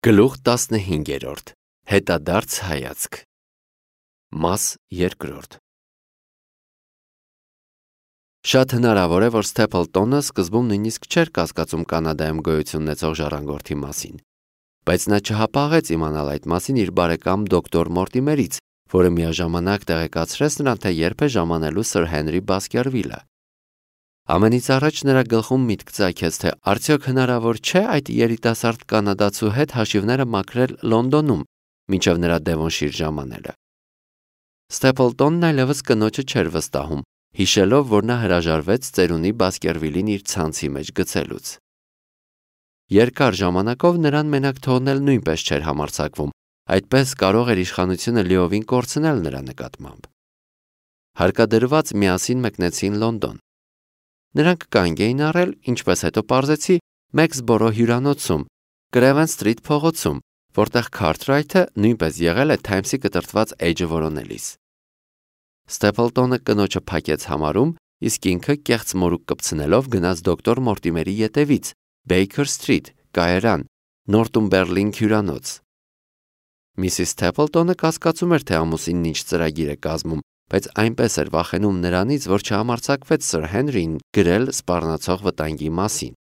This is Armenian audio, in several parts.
Գլուխ 15. Հետադարձ հայացք Մաս 2. Շատ հնարավոր է, որ Ստեփլտոնը սկզբում նույնիսկ չէր կասկածում Կանադայում գոյություն ունեցող ժառանգորդի մասին, բայց նա չհապաղեց իմանալ այդ մասին իր բարեկամ դոկտոր Մորտիմերից, որը միաժամանակ տեղեկացրեց նրան, թե երբ է ժամանելու Սր Հենրի Բասկերվիլը։ Ամենից առաջ նրա գլխում միտք ծագեց, թե արդյոք հնարավոր չէ այդ երիտասարդ կանադացու հետ հաշիվները մաքրել Լոնդոնում, մինչև նրա Դևոնշիր ժամանելը։ Ստեփլտոնն այլևս կնոջը չէր վստահում, հիշելով, որ նա հրաժարվեց ծերունի Բասկերվիլին իր ցանցի մեջ գցելուց։ Երկար ժամանակով նրան մենակ թողնել նույնպես չէր համարձակվում, այդպես կարող էր իշխանությունը լիովին կորցնել նրա նկատմամբ։ Հարկադրված միասին մեկնեցին Լոնդոն։ Նրանք կանգ էին առել, ինչպես հետո պարզեցի, Մեքսբորո հյուրանոցում, Կրևեն Սթրիթ փողոցում, որտեղ Քարթրայթը նույնպես եղել է Թայմսի կտրտված էջը որոնելիս։ Ստեփլտոնը կնոջը փակեց համարում, իսկ ինքը կեղծ մորուք կպցնելով գնաց դոկտոր Մորտիմերի ետևից, Բեյքեր Սթրիթ, Կայարան, Նորտումբերլինգ հյուրանոց։ Միսիս Ստեփլտոնը կասկածում էր, թե ամուսինն ինչ ծրագիր է կազմում, բայց այնպես էր վախենում նրանից, որ չհամարձակվեց Սր Հենրին գրել սպառնացող վտանգի մասին։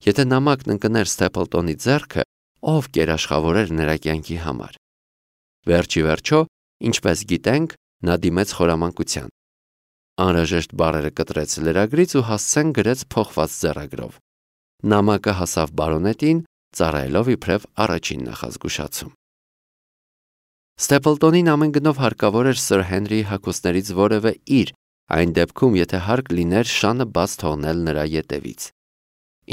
Եթե նամակն ընկներ Ստեփլտոնի ձեռքը, ով կերաշխավորեր նրա կյանքի համար։ Վերջի վերջո, ինչպես գիտենք, նա դիմեց խորամանկության։ Անհրաժեշտ բառերը կտրեց լրագրից ու հասցեն գրեց փոխված ձեռագրով։ Նամակը հասավ բարոնետին, ծառայելով իբրև առաջին նախազգուշացում։ Ստեփլտոնին ամեն գնով հարկավոր էր Սր Հենրիի հագուստներից որևէ իր, այն դեպքում, եթե հարկ լիներ շանը բաց թողնել նրա ետևից։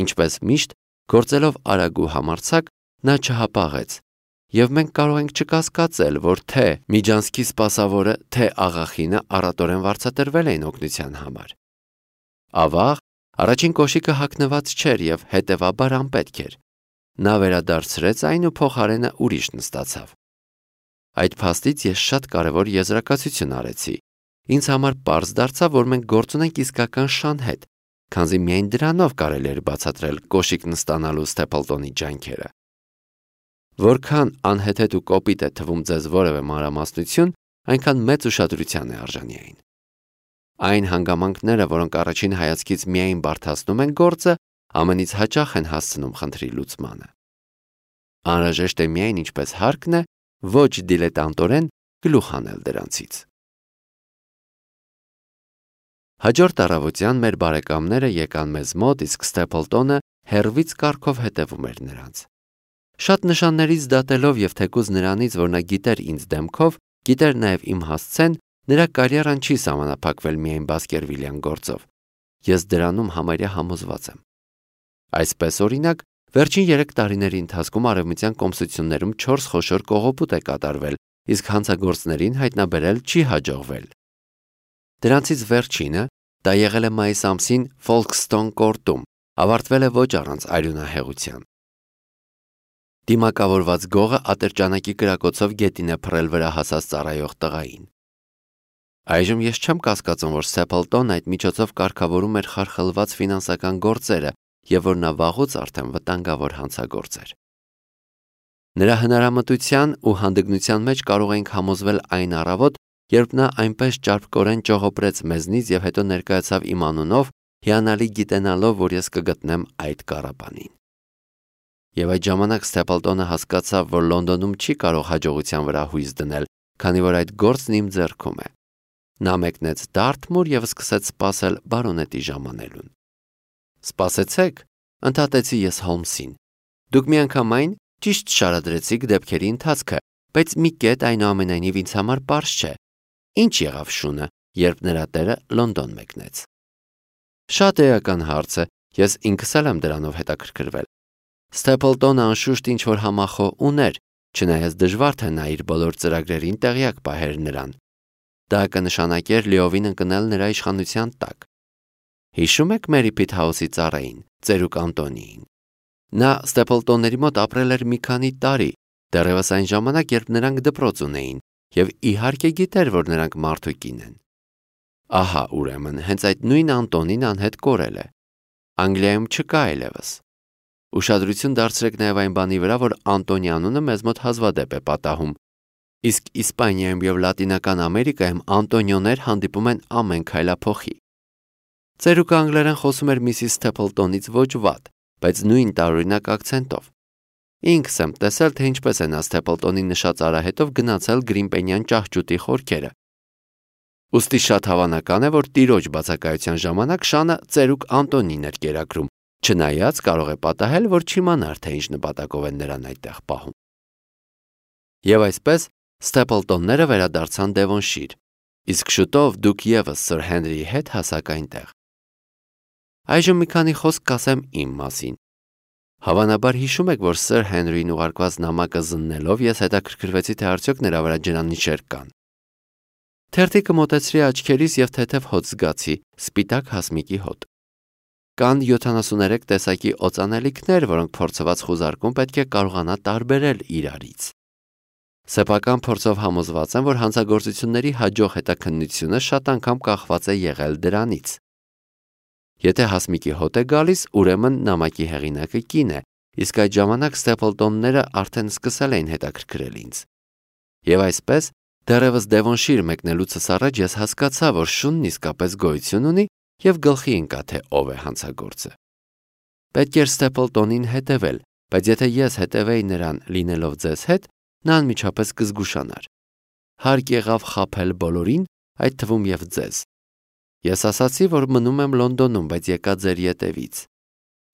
Ինչպես միշտ, գործելով արագ ու համարձակ, նա չհապաղեց, եւ մենք կարող ենք չկասկածել, որ թե Միջանցքի սպասավորը, թե աղախինը առատորեն վարձատրվել էին օգնության համար։ Ավաղ, առաջին կոշիկը հագնված չէր եւ հետեւաբար անպետք էր։ Նա վերադարձրեց այն ու փոխարենը ուրիշ նստացավ։ Այդ փաստից ես շատ կարևոր եզրակացություն արեցի։ Ինձ համար պարզ դարձավ, որ մենք գործ ունենք իսկական շան հետ, քանզի միայն դրանով կարելի էր բացատրել կոշիկ նստանալու Ստեփլտոնի ջանքերը։ Որքան անհեթեթ ու կոպիտ է թվում ձեզ որևէ մանրամասնություն, այնքան մեծ ուշադրության է արժանի այն։ Այն հանգամանքները, որոնք առաջին հայացքից միայն բարդացնում են գործը, ամենից հաճախ են հասցնում խնդրի լուծմանը։ Անհրաժեշտ է միայն ինչպես հարկն է, ոչ դիլետանտորեն գլուխ հանել դրանցից։ Հաջորդ առավոտյան մեր բարեկամները եկան մեզ մոտ, իսկ Ստեփլտոնը հեռվից կառքով հետևում էր նրանց։ Շատ նշաններից դատելով եւ թեկուզ նրանից, որ նա գիտեր ինձ դեմքով, գիտեր նաեւ իմ հասցեն, նրա կարիերան չի սահմանափակվել միայն Բասկերվիլյան գործով։ Ես դրանում համարյա համոզված եմ։ Այսպես օրինակ, վերջին 3 տարիների ընթացքում արևմտյան կոմսություններում 4 խոշոր կողոպուտ է կատարվել, իսկ հանցագործներին հայտնաբերել չի հաջողվել։ Դրանցից վերջինը, դա եղել է մայիս ամսին Ֆոլքստոն կորտում, ավարտվել է ոչ առանց արյունահեղության։ Դիմակավորված գողը ատրճանակի կրակոցով գետին է փռել վրա հասած ծառայող տղային։ Այժմ ես չեմ կասկածում, որ Ստեփլտոնն այդ միջոցով կարգավորում էր խարխլված ֆինանսական գործերը եւ որ նա վաղուց արդեն վտանգավոր հանցագործ էր։ Նրա հնարամտության ու հանդգնության մեջ կարող ենք համոզվել այն առավոտ, երբ նա այնպես ճարպկորեն ճողոպրեց մեզնից եւ հետո ներկայացավ իմ անունով, հիանալի գիտենալով, որ ես կգտնեմ այդ կառապանին։ Եվ այդ ժամանակ Ստեփլտոնը հասկացավ, որ Լոնդոնում չի կարող հաջողության վրա հույս դնել, քանի որ այդ գործն իմ ձեռքում է։ Նա մեկնեց Դարթմուր եւ սկսեց սպասել բարոնետի ժամանելուն։ Սպասեցեք, ընդհատեցի ես Հոլմսին։ Դուք միանգամայն ճիշտ շարադրեցիք դեպքերի ընթացքը, բայց մի կետ այնուամենայնիվ ինձ համար պարզ չէ։ Ինչ եղավ շունը, երբ նրա տերը Լոնդոն մեկնեց։ Շատ էական հարց է, ես ինքս էլ եմ դրանով հետաքրքրվել։ Ստեփլտոնը անշուշտ ինչ-որ համախոհ ուներ, չնայած դժվար թե նա իր բոլոր ծրագրերին տեղյակ պահեր նրան։ Դա կնշանակեր լիովին ընկնել նրա իշխանության տակ։ Հիշում եք Մերի Փիթհաուսի ծառային, ծերուկ Անտոնիին։ Նա Ստեփլտոնների մոտ ապրել էր մի քանի տարի, դեռևս այն ժամանակ, երբ նրանք դպրոց ունեին, եւ իհարկե գիտեր, որ նրանք մարդուկին են։ Ահա, ուրեմն, հենց այդ նույն Անտոնին անհետ կորել է։ Անգլիայում չկա այլևս։ Ուշադրություն դարձրեք նաև այն բանի վրա, որ Անտոնի անունը մեզ մոտ հազվադեպ է պատահում։ Իսկ Իսպանիայում եւ Լատինական Ամերիկայում Անտոնիոներ հանդիպում են ամեն քայլափոխի։ Ծերուկը անգլերեն խոսում էր Միսիս Սթեփլտոնից ոչ վատ, բայց նույն տարօրինակ ակցենտով։ Ինքս եմ տեսել, թե ինչպես է նա Սթեփլտոնի նշած արահետով գնացել Գրիմպենյան ճահճուտի խորքերը։ Ուստի շատ հավանական է, որ տիրոջ բացակայության ժամանակ Շանը ծերուկ Անտոնին էր կերակրում, չնայած կարող է պատահել, որ չիմանար, թե ինչ նպատակով են նրան այդտեղ պահում։ Եվ այսպես Ստեփլտոնները վերադարձան Դևոնշիր, իսկ շուտով դուք եւս Սր Հենրիի հետ հասաք այնտեղ։ Այժմ մի քանի խոսք կասեմ իմ մասին։ Հավանաբար հիշում եք, որ Սր Հենրիին ուղարկված նամակը զննելով ես հետաքրքրվեցի, թե արդյոք նրա վրա ջրանիշեր կան։ Թերթիկը մոտեցրի աչքերիս եւ թեթև հոտ զգացի, սպիտակ հասմիկի հոտ։ Կան 73 տեսակի օծանելիքներ, որոնք փորձված խուզարկում պետք է կարողանա տարբերել իրարից։ Սեփական փորձով համոզված եմ, որ հանցագործությունների հաջող հետաքննությունը շատ անգամ կախված է եղել դրանից։ Եթե հասմիկի հոտ է գալիս, ուրեմն նամակի հեղինակը կին է, իսկ այդ ժամանակ Ստեփլտոնները արդեն սկսել էին հետաքրքրել ինձ։ Եվ այսպես, դեռևս Դևոնշիր մեկնելուցս առաջ ես հասկացա, որ շունն իսկապես գոյություն ունի եւ գլխի ընկա, թե ով է հանցագործը։ Պետք էր Ստեփլտոնին հետևել, բայց եթե ես հետևեի նրան լինելով ձեզ հետ, նա անմիջապես կզգուշանար։ Հարկ եղավ խաբել բոլորին, այդ թվում եւ ձեզ։ Ես ասացի, որ մնում եմ Լոնդոնում, բայց եկա ձեր ետևից։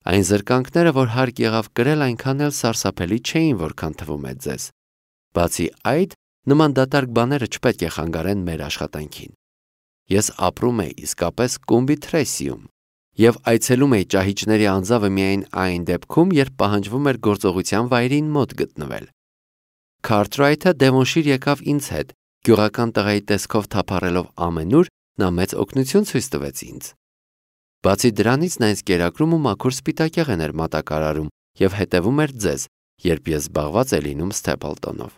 Այն զրկանքները, որ հարկ եղավ կրել, այնքան էլ սարսափելի չէին, որքան թվում է ձեզ։ Բացի այդ, նման դատարկ բաները չպետք է խանգարեն մեր աշխատանքին։ Ես ապրում եի իսկապես Կումբի Թրեսիում եւ այցելում էի ճահիճների անձավը միայն այն դեպքում, երբ պահանջվում էր գործողության վայրին մոտ գտնվել։ Քարթրայթը Դևոնշիր եկավ ինձ հետ, գյուղական տղայի տեսքով թափառելով ամենուր, նա մեծ օգնություն ցույց տվեց ինձ։ Բացի դրանից նա ինձ կերակրում ու մաքուր սպիտակեղեն էր մատակարարում եւ հետևում էր ձեզ, երբ ես զբաղված էի լինում Ստեփլտոնով։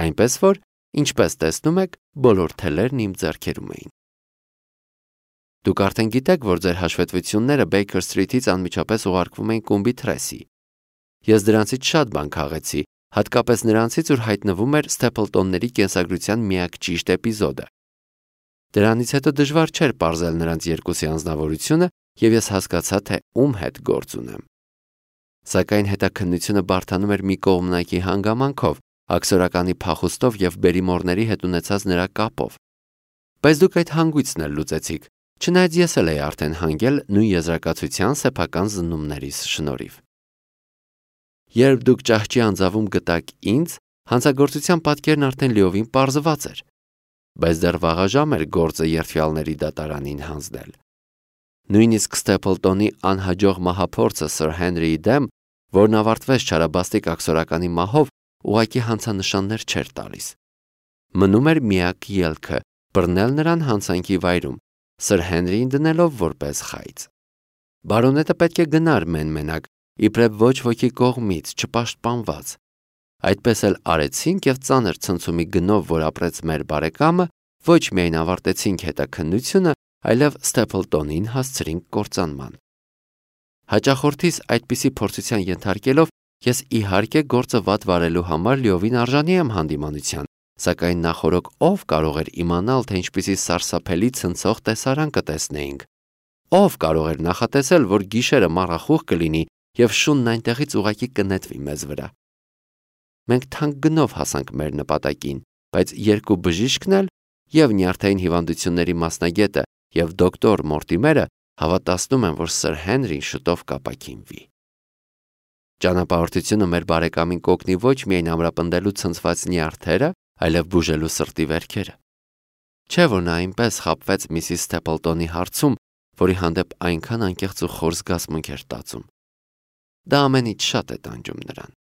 Այնպես որ, ինչպես տեսնում եք, բոլոր թելերն իմ ձեռքերում էին։ Դուք արդեն գիտեք, որ ձեր հաշվետվությունները Բեյքեր Սթրիթից անմիջապես ուղարկվում էին Կումբի Թրեսի։ Ես դրանցից շատ բան քաղեցի, հատկապես նրանցից, որ հայտնվում էր Ստեփլտոնների կենսագրության միակ ճիշտ էպիզոդը։ Դրանից հետո դժվար չէր պարզել նրանց երկուսի անձնավորությունը, եւ ես հասկացա, թե ում հետ գործ ունեմ։ Սակայն հետաքննությունը բարդանում էր մի կողմնակի հանգամանքով, աքսորականի փախուստով եւ բերիմորների հետ ունեցած նրա կապով։ Բայց դուք այդ հանգույցն էլ լուծեցիք, չնայած ես էլ էի արդեն հանգել նույն եզրակացության սեփական զննումներիս շնորհիվ։ Երբ դուք ճահճի անձավում գտաք ինձ, հանցագործության պատկերն արդեն լիովին պարզված էր, բայց դեռ վաղաժամ էր գործը երթվյալների դատարանին հանձնել։ Նույնիսկ Ստեփլտոնի անհաջող մահափորձը Սր Հենրիի դեմ, որն ավարտվեց չարաբաստիկ աքսորականի մահով, ուղղակի հանցանշաններ չէր տալիս։ Մնում էր միակ ելքը՝ բռնել նրան հանցանքի վայրում, Սր Հենրիին դնելով որպես խայծ։ Բարոնետը պետք է գնար մեն-մենակ, իբրև ոչ ոքի կողմից չպաշտպանված։ Այդպես էլ արեցինք եւ ծանր ցնցումի գնով, որ ապրեց մեր բարեկամը, ոչ միայն ավարտեցինք հետաքննությունը, այլև Ստեփլտոնին հասցրինք կործանման։ Հաճախորդիս այդպիսի փորձության ենթարկելով, ես իհարկե գործը վատ վարելու համար լիովին արժանի եմ հանդիմանության, սակայն նախորոք ով կարող էր իմանալ, թե ինչպիսի սարսափելի ցնցող տեսարան կտեսնեինք։ Ով կարող էր նախատեսել, որ գիշերը մառախուղ կլինի եւ շունն այնտեղից ուղակի կնետվի մեզ վրա։ Մենք թանկ գնով հասանք մեր նպատակին, բայց երկու բժիշկն էլ, եւ նյարդային հիվանդությունների մասնագետը եւ դոկտոր Մորտիմերը հավատացնում են, որ Սր Հենրին շուտով կապակինվի։ Ճանապարհորդությունը մեր բարեկամին կօգնի ոչ միայն ամրապնդելու ցնցված նյարդերը, այլև բուժելու սրտի վերքերը։ Չէ՞ որ նա այնպես խաբվեց Միսիս Ստեփլտոնի հարցում, որի հանդեպ այնքան անկեղծ ու խոր զգացմունք էր տածում։ Դա ամենից շատ է տանջում նրան։